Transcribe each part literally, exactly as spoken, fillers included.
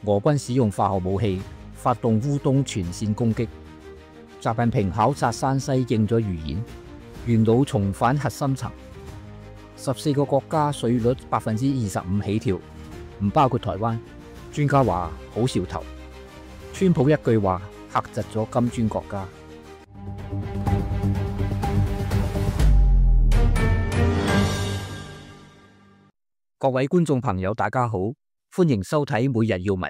俄軍使用化學武器發動烏東全線攻擊。習近平考察山西應咗預演，元老重返核心層。十四個國家稅率百分之二十五起跳，唔包括台灣。專家話好兆頭。川普一句話嚇窒咗金磚國家。各位觀眾朋友，大家好，歡迎收睇每日要聞。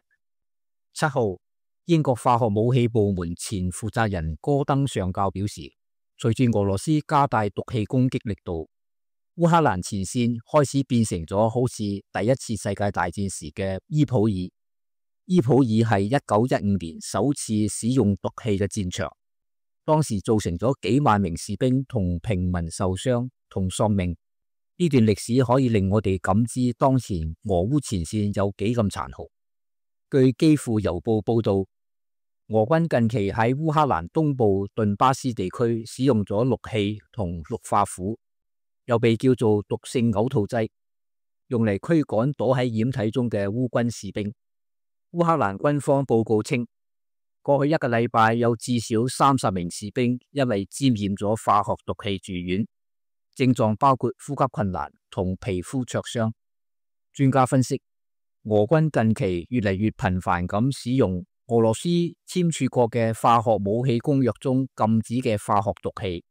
七號，英國化學武器部門前負責人戈登上校表示，隨住俄羅斯加大毒氣攻擊力度，烏克蘭前線開始變成咗好似第一次世界大戰時嘅伊普爾。伊普爾係一九一五年首次使用毒氣嘅戰場，當時造成咗幾萬名士兵同平民受傷同喪命。呢段歷史可以令我哋感知當前俄烏前線有幾咁殘酷。據基輔郵報報道，俄軍近期喺烏克蘭東部頓巴斯地區使用咗氯氣同氯化鈷，又被叫做毒性嘔吐劑，用嚟驅趕躲喺掩體中嘅烏軍士兵。烏克蘭軍方報告稱，過去一個禮拜有至少三十名士兵因為沾染咗化學毒氣住院。症狀包括呼吸困難同皮膚灼傷。專家分析，俄軍近期越嚟越頻繁咁使用俄羅斯簽署過嘅化學武器公約中禁止嘅化學毒氣。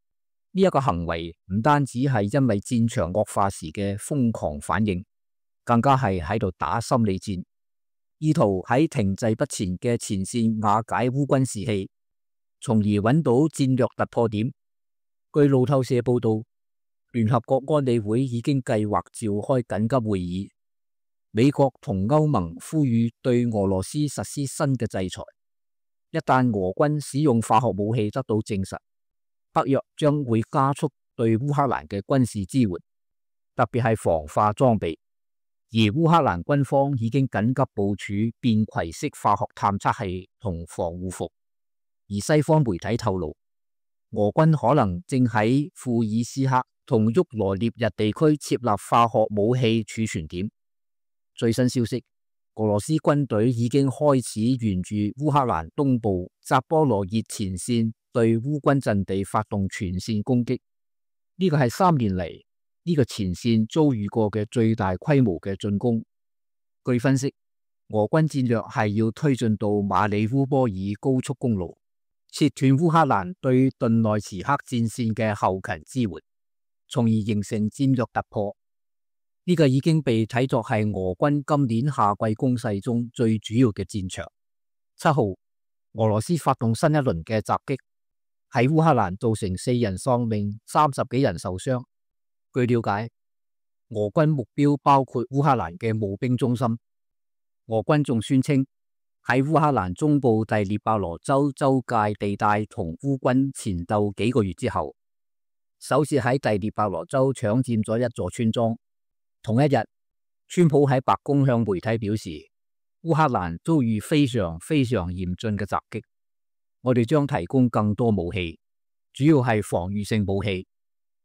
呢、這、一個行為唔單止係因為戰場惡化時嘅瘋狂反應，更加係喺度打心理戰，意圖喺停滯不前嘅前線瓦解烏軍士氣，從而揾到戰略突破點。據路透社報道，聯合國安理會已經計劃召開緊急會議，美國同歐盟呼籲對俄羅斯實施新嘅制裁。一旦俄軍使用化學武器得到證實，北約將會加速對烏克蘭嘅軍事支援，特別係防化裝備。而烏克蘭軍方已經緊急部署便攜式化學探測器同防護服。而西方媒體透露，俄軍可能正喺庫爾斯克同沃羅涅日地區設立化學武器儲存點。最新消息，俄羅斯軍隊已經開始沿住烏克蘭東部扎波羅熱前線對烏軍陣地發動全線攻擊。呢個係三年嚟呢個前線遭遇過嘅最大規模嘅進攻。據分析，俄軍戰略係要推進到馬里烏波爾高速公路，切斷烏克蘭對頓內茨克戰線嘅後勤支援，從而形成戰略突破。呢、這個已經被睇作係俄軍今年夏季攻勢中最主要嘅戰場。七號，俄羅斯發動新一輪嘅襲擊，喺烏克蘭造成四人喪命、三十幾人受傷。據了解，俄軍目標包括烏克蘭嘅募兵中心。俄軍仲宣稱喺烏克蘭中部第聶伯羅州州界地帶同烏軍纏鬥幾個月之後，首次喺第聶伯羅州搶佔咗一座村莊。同一日，川普喺白宮向媒體表示，烏克蘭遭遇非常非常嚴峻嘅襲擊，我哋將提供更多武器，主要係防禦性武器。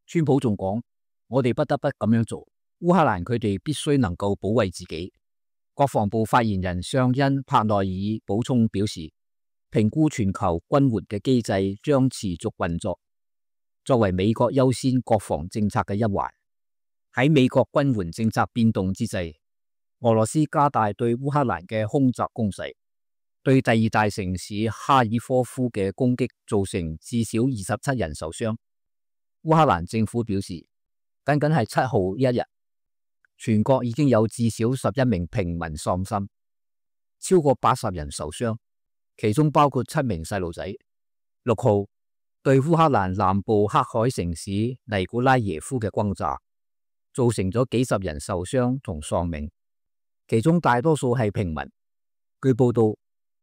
川普仲講，我哋不得不咁樣做，烏克蘭佢哋必須能夠保衛自己。國防部發言人尚恩帕內爾補充表示，評估全球軍援嘅機制將持續運作，作為美國優先國防政策嘅一環。喺美國軍援政策變動之際，俄羅斯加大對烏克蘭嘅空襲攻勢，對第二大城市哈爾科夫嘅攻擊造成至少二十七人受傷。烏克蘭政府表示，僅僅係七號一日，全國已經有至少十一名平民喪生，超過八十人受傷，其中包括七名細路仔。六號，對烏克蘭南部黑海城市尼古拉耶夫嘅轟炸，造成咗幾十人受傷同喪命，其中大多數係平民。據報道，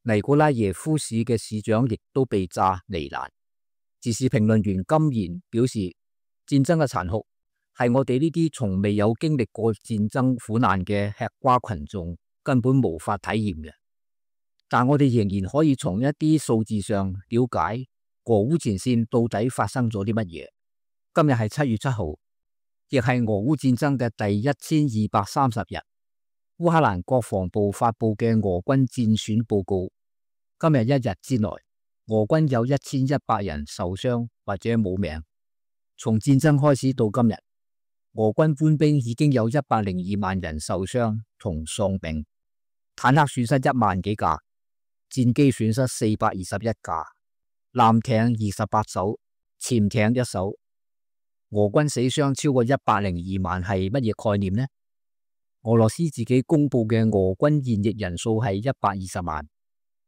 尼古拉耶夫市嘅市長亦都被炸罹難。時事評論員金賢表示，戰爭嘅殘酷係我哋呢啲從未有經歷過戰爭苦難嘅吃瓜群眾根本無法體驗嘅。但我哋仍然可以從一啲數字上了解俄烏前線到底發生咗啲乜嘢。今日係七月七號，亦係俄烏戰爭嘅第一千二百三十日。烏克蘭國防部發佈嘅俄軍戰損報告，今日一日之內，俄軍有一千一百人受傷或者冇命。從戰爭開始到今日，俄軍官兵已經有一百零二萬人受傷同喪命，坦克損失一萬幾架，戰機損失四百二十一架，艦艇二十八艘，潛艇一艘。俄軍死傷超過一百零二萬係乜嘢概念呢？俄羅斯自己公布嘅俄軍現役人數係一百二十萬，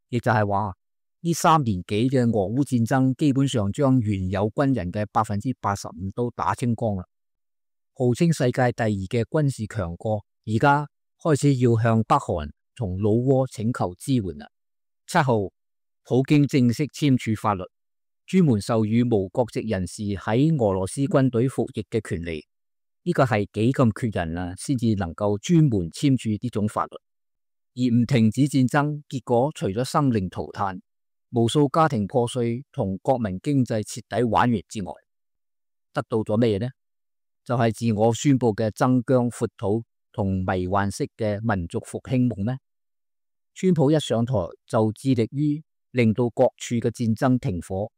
亦就係話呢三年幾嘅俄烏戰爭基本上將原有軍人嘅百分之八十五都打清光啦。號稱世界第二嘅軍事強國，而家開始要向北韓同老撾請求支援啦。七號，普京正式簽署法律，專門授予無國籍人士喺俄羅斯軍隊服役嘅權利。呢個係幾咁缺人啊，先至能夠專門簽署呢種法律，而唔停止戰爭，結果除咗生靈塗炭、無數家庭破碎同國民經濟徹底玩完之外，得到咗咩嘢呢？就係、是、自我宣布嘅增疆闊土同迷幻式嘅民族復興夢咩？川普一上台就致力於令到各處嘅戰爭停火，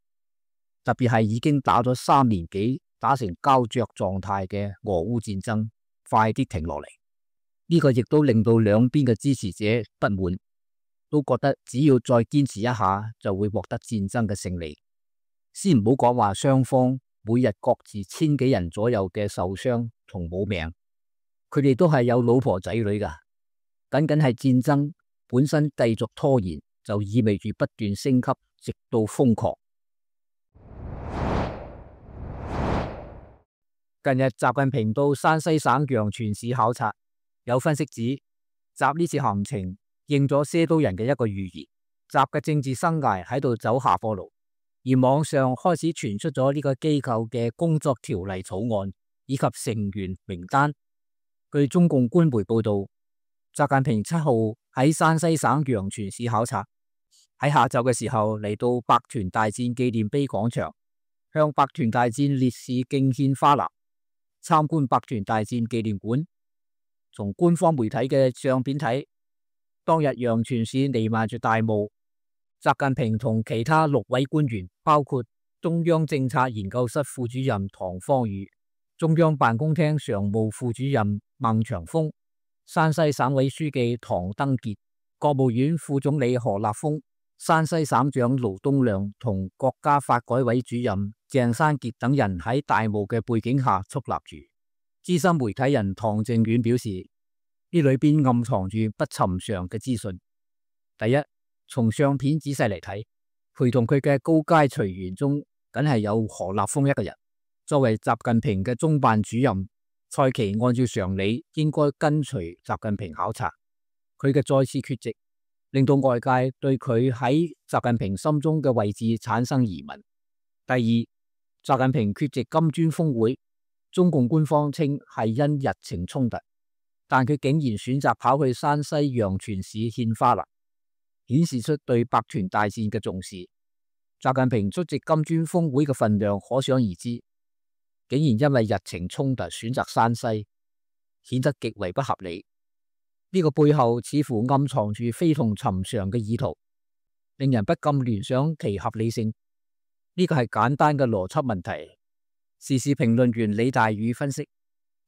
特別係已經打咗三年幾，打成膠着狀態嘅俄烏戰爭，快啲停落嚟。呢、這個亦都令到兩邊嘅支持者不滿，都覺得只要再堅持一下就會獲得戰爭嘅勝利。先唔好講話雙方每日各自千幾人左右嘅受傷同冇命，佢哋都係有老婆仔女噶。僅僅係戰爭本身繼續拖延，就意味住不斷升級，直到瘋狂。近日習近平到山西省陽泉市考察，有分析指習呢次行程應咗些都人嘅一個預言，習嘅政治生涯喺度走下坡路。而網上開始傳出咗呢個機構嘅工作條例草案以及成員名單。據中共官媒報道，習近平七號喺山西省陽泉市考察，喺下晝嘅時候嚟到百團大戰紀念碑廣場，向百團大戰烈士敬獻花籃。參觀百團大戰紀念館。從官方媒體嘅相片睇，當日陽泉市彌漫住大霧。習近平同其他六位官員，包括中央政策研究室副主任唐方宇、中央辦公廳常務副主任孟長峰、山西省委書記唐登傑、國務院副總理何立峰、山西省長盧東亮同國家發改委主任鄭山傑等人喺大霧嘅背景下矗立住。資深媒體人唐靖遠表示，呢裏邊暗藏住不尋常嘅資訊。第一，從相片仔細嚟睇，陪同佢嘅高階隨員中，梗係有何立峰一個人。作為習近平嘅中辦主任，蔡奇按照常理應該跟隨習近平考察，佢嘅再次缺席，令到外界對佢喺習近平心中嘅位置產生疑問。第二，習近平缺席金磚峰會，中共官方稱係因日程衝突，但佢竟然選擇跑去山西陽泉市獻花籃，顯示出對百團大戰嘅重視。習近平出席金磚峰會嘅分量可想而知，竟然因為日程衝突選擇山西，顯得極為不合理。呢、這個背後似乎暗藏住非同尋常嘅意圖，令人不禁聯想其合理性。呢個係簡單嘅邏輯問題。時事評論員李大宇分析，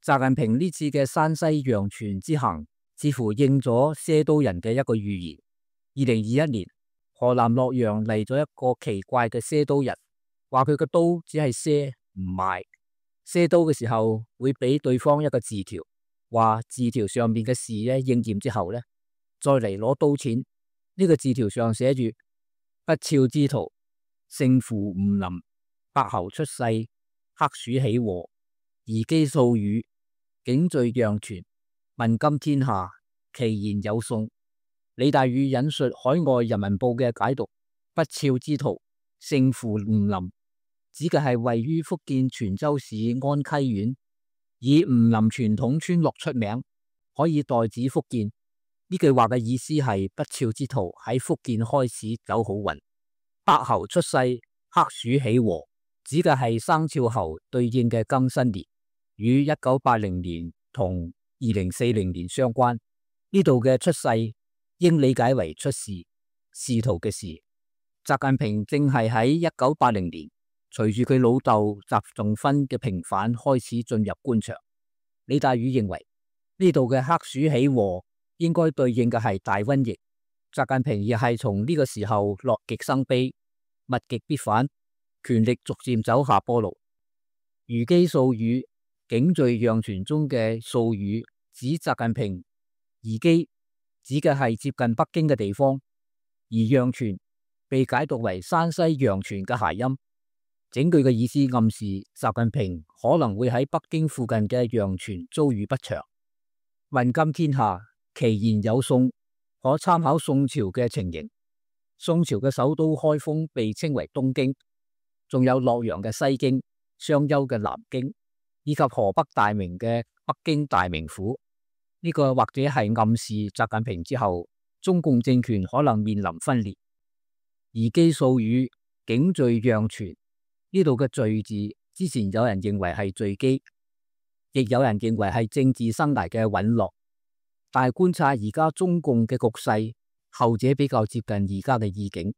習近平呢次嘅山西陽泉之行，似乎應咗些都人嘅一個預言。二零二一年，河南洛陽嚟咗一個奇怪嘅些都人，話佢個刀只係些唔賣，些刀嘅時候會俾對方一個字條，話字條上面嘅事咧應驗之後咧，再嚟攞刀錢。呢、這個字條上寫住：不肖之徒，勝負唔臨，伯侯出世，黑鼠起禍，兒姬素語，景聚陽泉，問今天下，其言有信。李大宇引述海外人民報嘅解讀：不肖之徒，勝負唔臨，指嘅係位於福建泉州市安溪縣，以吳林傳統村落出名，可以代指福建。呢句話嘅意思係不肖之徒喺福建開始走好運。伯侯出世，黑鼠起禍，指嘅係生肖猴對應嘅庚申年，與一九八零年同二零四零年相關。呢度嘅出世應理解為出仕，仕途嘅仕。習近平正係喺一九八零年，隨住佢老豆習仲勳嘅平反開始進入官場。李大宇認為呢度嘅黑鼠起禍應該對應嘅係大瘟疫。習近平亦係從呢個時候樂極生悲，物極必反，權力逐漸走下坡路。虞姬素語景敘讓傳中嘅素語指習近平，虞姬指嘅係接近北京嘅地方，而讓傳被解讀為山西陽泉嘅諧音。整句嘅意思暗示習近平可能會喺北京附近嘅陽泉遭遇不祥。問今天下，其言有宋，可參考宋朝嘅情形。宋朝嘅首都開封被稱為東京，仲有洛陽嘅西京、商丘嘅南京，以及河北大名嘅北京大名府。呢、這個或者係暗示習近平之後，中共政權可能面臨分裂。虞姬素語景敘讓傳呢度嘅敘字，之前有人認為係墜機，亦有人認為係政治生涯嘅隕落。但係觀察而家中共嘅局勢，後者比較接近而家嘅意境。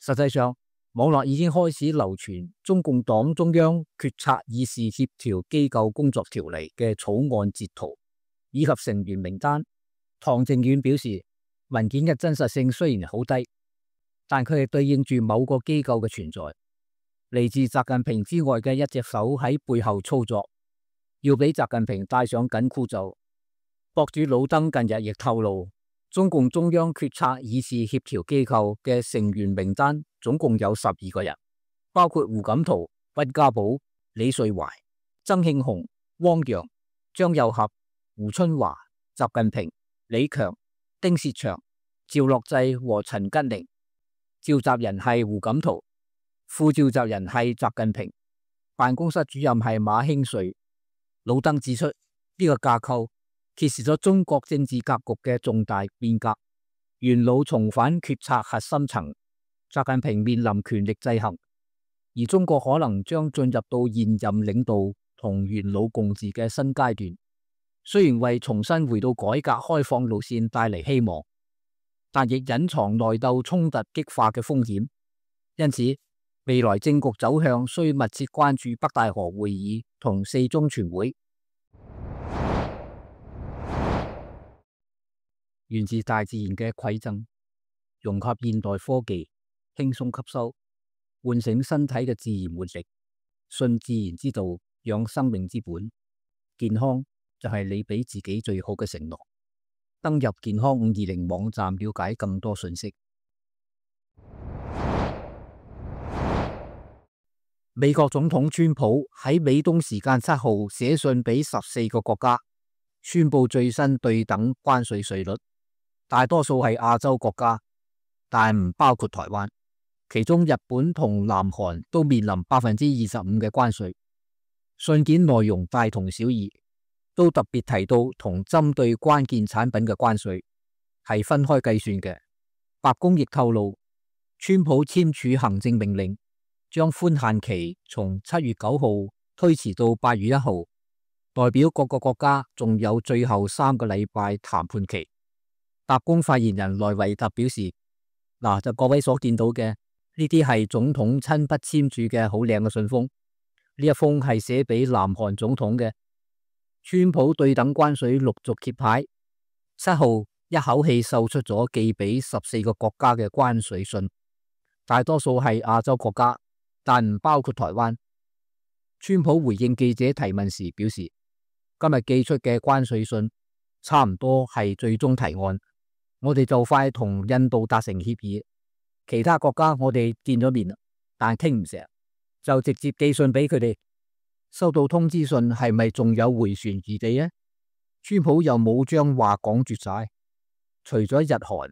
實際上，網絡已經開始流傳中共黨中央決策議事協調機構工作條例嘅草案截圖以及成員名單。唐靖遠表示，文件嘅真實性雖然好低，但佢係對應住某個機構嘅存在，嚟自習近平之外嘅一隻手喺背後操作，要俾習近平戴上緊箍咒。博主老登近日亦透露，中共中央決策議事協調機構嘅成員名單總共有十二個人，包括胡錦濤、溫家寶、李瑞懷、曾慶紅、汪洋、張又俠、胡春華、習近平、李強、丁薛祥、趙樂際和陳吉寧。召集人係胡錦濤，副召集人係習近平，辦公室主任係馬興瑞。老登指出，呢、這個架構揭示咗中國政治格局嘅重大變革，元老重返決策核心層，習近平面臨權力制衡，而中國可能將進入到現任領導同元老共治嘅新階段。雖然為重新回到改革開放路線帶嚟希望，但亦隱藏內鬥衝突激化嘅風險。因此，未來政局走向需密切關注北戴河會議同四中全會。源自大自然嘅饋贈，融合現代科技，輕鬆吸收，喚醒身體嘅自然活力，信自然之道，養生命之本。健康就係你俾自己最好嘅承諾。登入健康五二零網站了解更多信息。美國總統川普喺美東時間七號寫信俾十四個國家，宣布最新對等關稅稅率，大多數係亞洲國家，但唔包括台灣。其中日本同南韓都面臨百分之二十五嘅關稅。信件內容大同小異，都特別提到同針對關鍵產品嘅關稅係分開計算嘅。白宮亦透露，川普簽署行政命令，將寬限期從七月九號推遲到八月一號，代表各個國家仲有最後三個禮拜談判期。白宮發言人萊維特表示，嗱，就各位所見到嘅呢啲係總統親筆簽署嘅好靚嘅信封，呢一封係寫俾南韓總統嘅。川普對等關稅陸續揭牌，七號一口氣售出咗寄俾十四個國家嘅關稅信，大多數係亞洲國家，但唔包括台灣。川普回應記者提問時表示，今日寄出嘅關稅信差唔多係最終提案，我哋就快同印度達成協議，其他國家我哋見咗面，但傾唔成，就直接寄信俾佢哋。收到通知信係咪仲有回旋餘地呢？川普又冇將話講絕晒，除咗日韓，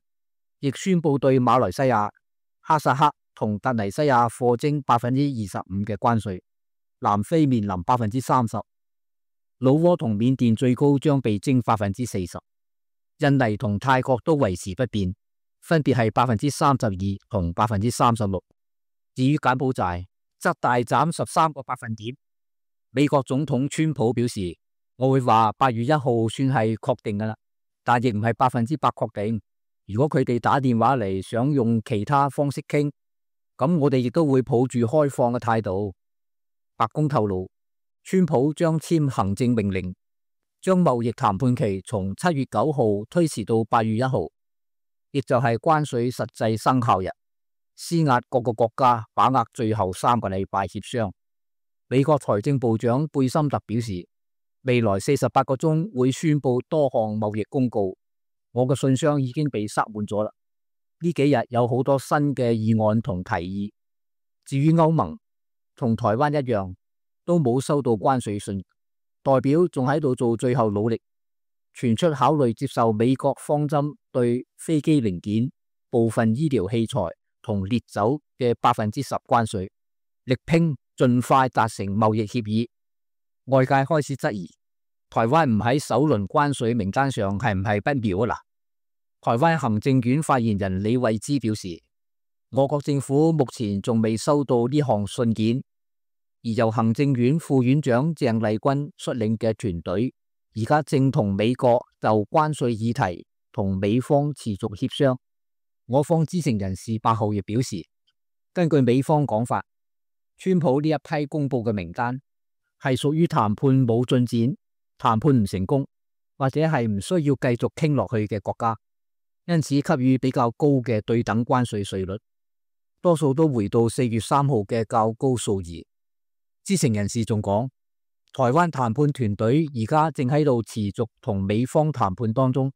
亦宣布對馬來西亞、哈薩克同突尼西亞課徵百分之二十五嘅關稅，南非面臨百分之三十，老撾同緬甸最高將被徵百分之四十，印尼同泰國都維持不變，分別係百分之三十二同百分之三十六。至於柬埔寨，則大減十三個百分點。美國總統川普表示，我會話八月一號算係確定噶啦，但亦唔係百分之百確定。如果佢哋打電話嚟想用其他方式傾，咁我哋亦都會抱住開放嘅態度。白宮透露，川普將簽行政命令，將貿易談判期從七月九號推遲到八月一號，亦就係關稅實際生效日，施壓各個國家把握最後三個禮拜協商。美國財政部長貝森特表示，未來四十八個鐘會宣布多項貿易公告。我嘅信箱已經被塞滿咗啦。呢幾日有好多新嘅議案同提議。至於歐盟，同台灣一樣，都冇收到關稅信，代表仲喺度做最後努力，傳出考慮接受美國方針對飛機零件、部分醫療器材同烈酒嘅百分之十關稅，力拼盡快達成貿易協議。外界開始質疑，台灣唔喺首輪關稅名單上係唔係不妙啊？嗱，台灣行政院發言人李慧芝表示，我國政府目前仲未收到呢項信件，而由行政院副院長鄭麗君率領嘅團隊，而家正同美國就關稅議題同美方持續協商。我方知情人士八號亦表示，根據美方講法，川普呢一批公布嘅名單係屬於談判冇進展、談判唔成功，或者係唔需要繼續傾落去嘅國家，因此給予比較高嘅對等關稅稅率，多數都回到四月三號嘅較高數字。知情人士仲講，台灣談判團隊而家正喺度持續同美方談判當中，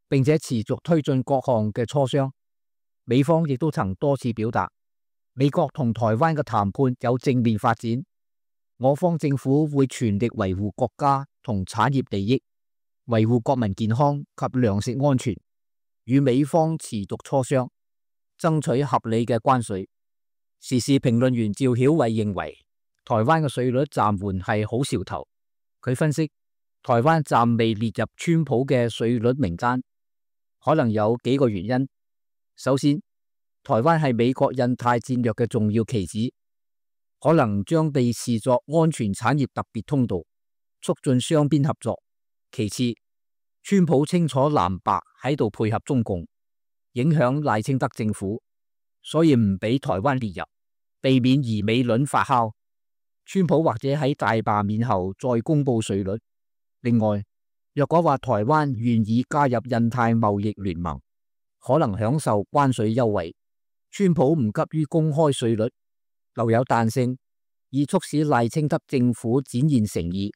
並且持續推進各項嘅磋商。美方亦都曾多次表達，美國同台灣嘅談判有正面發展，我方政府會全力維護國家同產業利益，維護國民健康及糧食安全，與美方持續磋商，爭取合理嘅關稅。時事評論員趙曉偉認為，台灣嘅稅率暫緩係好兆頭。佢分析，台灣暫未列入川普嘅稅率名單，可能有幾個原因。首先，台灣係美國印太戰略嘅重要棋子，可能將被視作安全產業特別通道，促進雙邊合作。其次，川普清楚藍白喺度配合中共，影響賴清德政府，所以唔俾台灣列入，避免疑美論發酵。川普或者喺大罷免後再公布稅率。另外，若果話台灣願意加入印太貿易聯盟，可能享受關稅優惠，川普唔急於公開稅率，留有彈性，以促使賴清德政府展現誠意。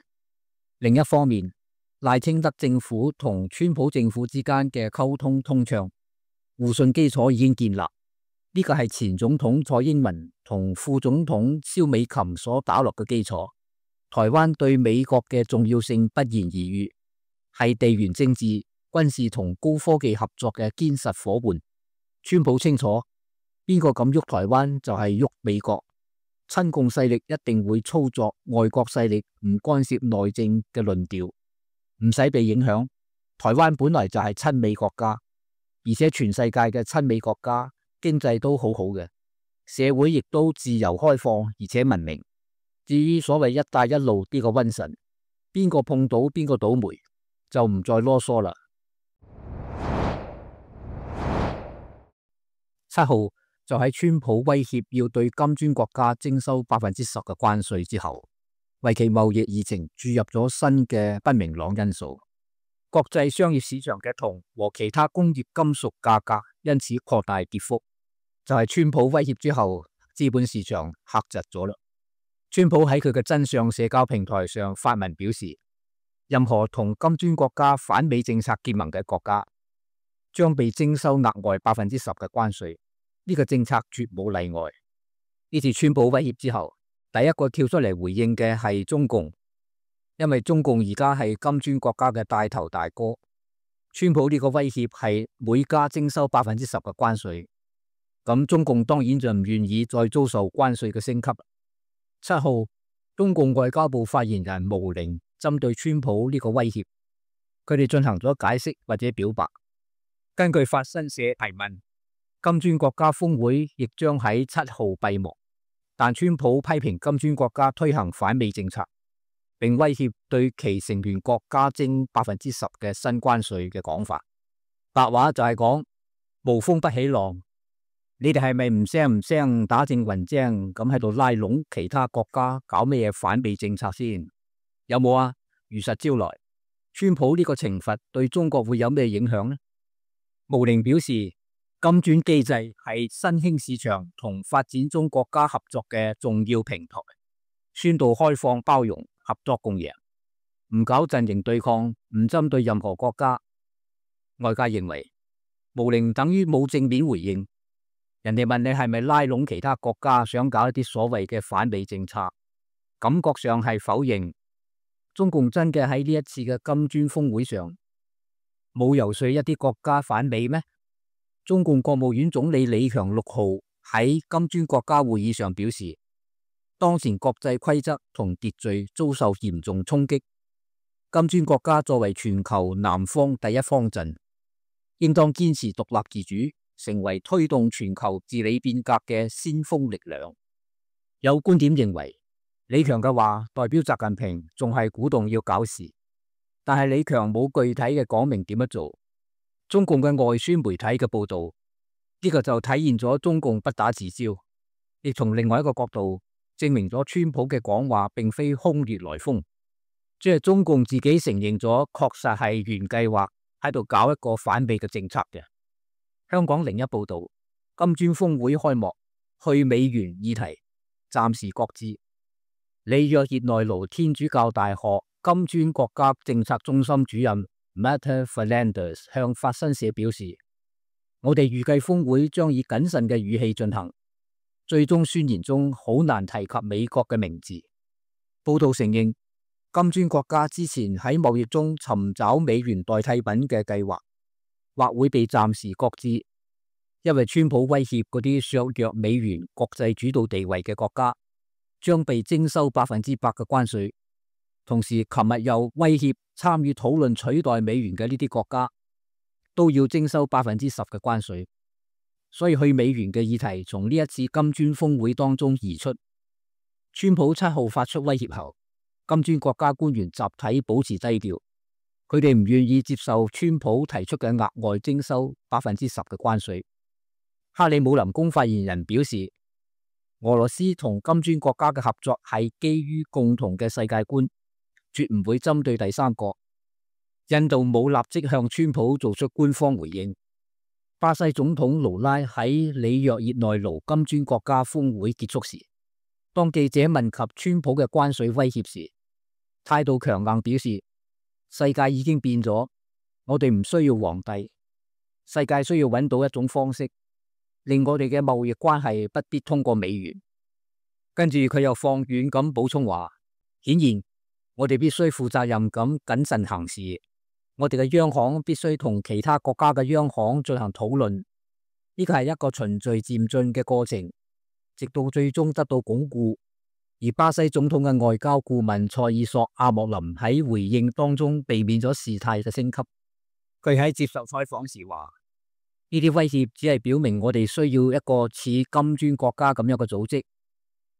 另一方面，賴清德政府同川普政府之間嘅溝通通暢，互信基礎已經建立。呢個係前總統蔡英文同副總統蕭美琴所打落嘅基礎。台灣對美國嘅重要性不言而喻，係地緣政治、軍事同高科技合作嘅堅實夥伴。川普清楚，邊個敢喐台灣就係喐美國。親共勢力一定會操作外國勢力唔干涉內政嘅論調，唔使被影響。台灣本來就係親美國家，而且全世界嘅親美國家經濟都好好嘅，社會亦都自由開放而且文明。至於所謂一帶一路呢個瘟神，邊個碰到邊個倒霉，就唔再囉嗦啦。七號就喺川普威脅要對金磚國家徵收百分之十嘅關稅之後，為其貿易議程注入咗新嘅不明朗因素。國際商業市場嘅銅和其他工業金屬價格因此擴大跌幅，就係川普威脅之後，資本市場嚇窒咗啦。川普喺佢嘅真相社交平台上發文表示，任何同金磚國家反美政策結盟嘅國家將被徵收額外百分之十嘅關稅，呢個政策絕冇例外。呢次川普威脅之後，第一個跳出嚟回應嘅係中共，因為中共而家係金磚國家嘅帶頭大哥。川普呢個威脅係每家徵收百分之十嘅關稅，咁中共當然就唔願意再遭受關稅嘅升級。七號，中共外交部發言人毛寧針對川普呢個威脅，佢哋進行咗解釋或者表白。根據法新社提問，金磚國家峰會亦將喺七號閉幕，但川普批評金磚國家推行反美政策，並威脅對其成員國加徵百分之十嘅新關稅嘅講法。白話就係講無風不起浪，你哋係咪唔聲唔聲打正雲精咁喺度拉攏其他國家搞咩嘢反美政策先？有冇啊？如實招來。川普呢個懲罰對中國會有咩影響呢？毛寧表示，金磚機制係新興市場同發展中國家合作嘅重要平台，宣導開放包容、合作共贏，唔搞陣營對抗，唔針對任何國家。外界認為毛寧等於冇正面回應，人哋問你係咪拉攏其他國家想搞一啲所謂嘅反美政策，感覺上係否認。中共真嘅喺呢一次嘅金磚峰會上冇游說一啲國家反美咩？中共國務院總理李強六號喺金磚國家會議上表示，當前國際規則同秩序遭受嚴重衝擊，金磚國家作為全球南方第一方陣，應當堅持獨立自主，成為推動全球治理變革嘅先鋒力量。有觀點認為，李強嘅話代表習近平仲係鼓動要搞事，但係李強冇具體嘅講明點樣做。中共嘅外宣媒體嘅報道，呢個就體現咗中共不打自招，亦從另外一個角度證明咗川普嘅講話並非空穴來風，即係中共自己承認咗，確實係原計劃喺度搞一個反美嘅政策嘅。香港零一報道，金磚峰會開幕，去美元議題暫時擱置。里約熱內盧天主教大學金磚國家政策中心主任 Marta Fernandez 向法新社表示，我哋預計峰會將以謹慎嘅語氣進行，最終宣言中好難提及美國嘅名字。報道承認，金磚國家之前喺貿易中尋找美元代替品嘅計劃，或會被暫時擱置，因為川普威脅嗰啲削弱美元國際主導地位嘅國家將被徵收百分之百嘅關稅，同時琴日又威脅參與討論取代美元嘅呢啲國家都要徵收百分之十嘅關稅，所以去美元嘅議題從呢一次金磚峰會當中移出。川普七號發出威脅後，金磚國家官員集體保持低調，佢哋唔願意接受川普提出嘅額外徵收百分之十嘅關稅。克里姆林宮發言人表示，俄羅斯同金磚國家嘅合作係基於共同嘅世界觀，絕唔會針對第三國。印度冇立即向川普做出官方回應。巴西總統盧拉喺里約熱內盧金磚國家峰會結束時，當記者問及川普嘅關稅威脅時，態度強硬表示，世界已經變咗，我哋唔需要皇帝，世界需要揾到一種方式，令我哋嘅貿易關係不必通過美元。跟住佢又放軟咁補充話，顯然我哋必須負責任咁謹慎行事，我哋嘅央行必須同其他國家嘅央行進行討論，呢個係一個循序漸進嘅過程，直到最終得到鞏固。而巴西總統嘅外交顧問塞爾索阿莫林喺回應當中避免咗事態嘅升級。佢喺接受採訪時話，呢啲威脅只係表明我哋需要一個似金磚國家咁樣嘅組織，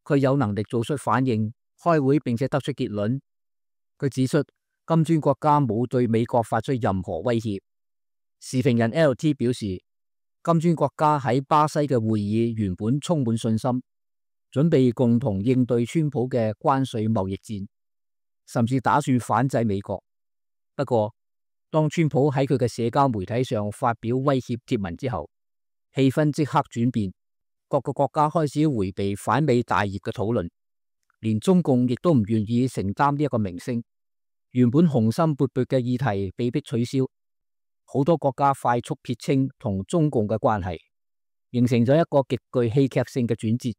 佢有能力做出反應、開會並且得出結論。佢指出，金磚國家冇對美國發出任何威脅。時評人 L T 表示，金磚國家喺巴西嘅會議原本充滿信心，準備共同應對川普嘅關稅貿易戰，甚至打算反制美國。不過，當川普喺佢嘅社交媒體上發表威脅貼文之後，氣氛即刻轉變，各個國家開始迴避反美大業嘅討論，連中共亦都唔願意承擔呢一個名聲。原本雄心勃勃嘅議題被迫取消，好多國家快速撇清同中共嘅關係，形成咗一個極具戲劇性嘅轉折。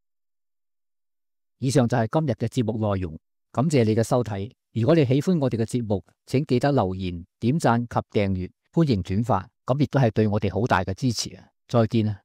以上就係今日嘅節目內容，感謝你嘅收睇。如果你喜歡我哋嘅節目，請記得留言、點讚及訂閱，歡迎轉發，咁亦都係對我哋好大嘅支持啊！再見啊！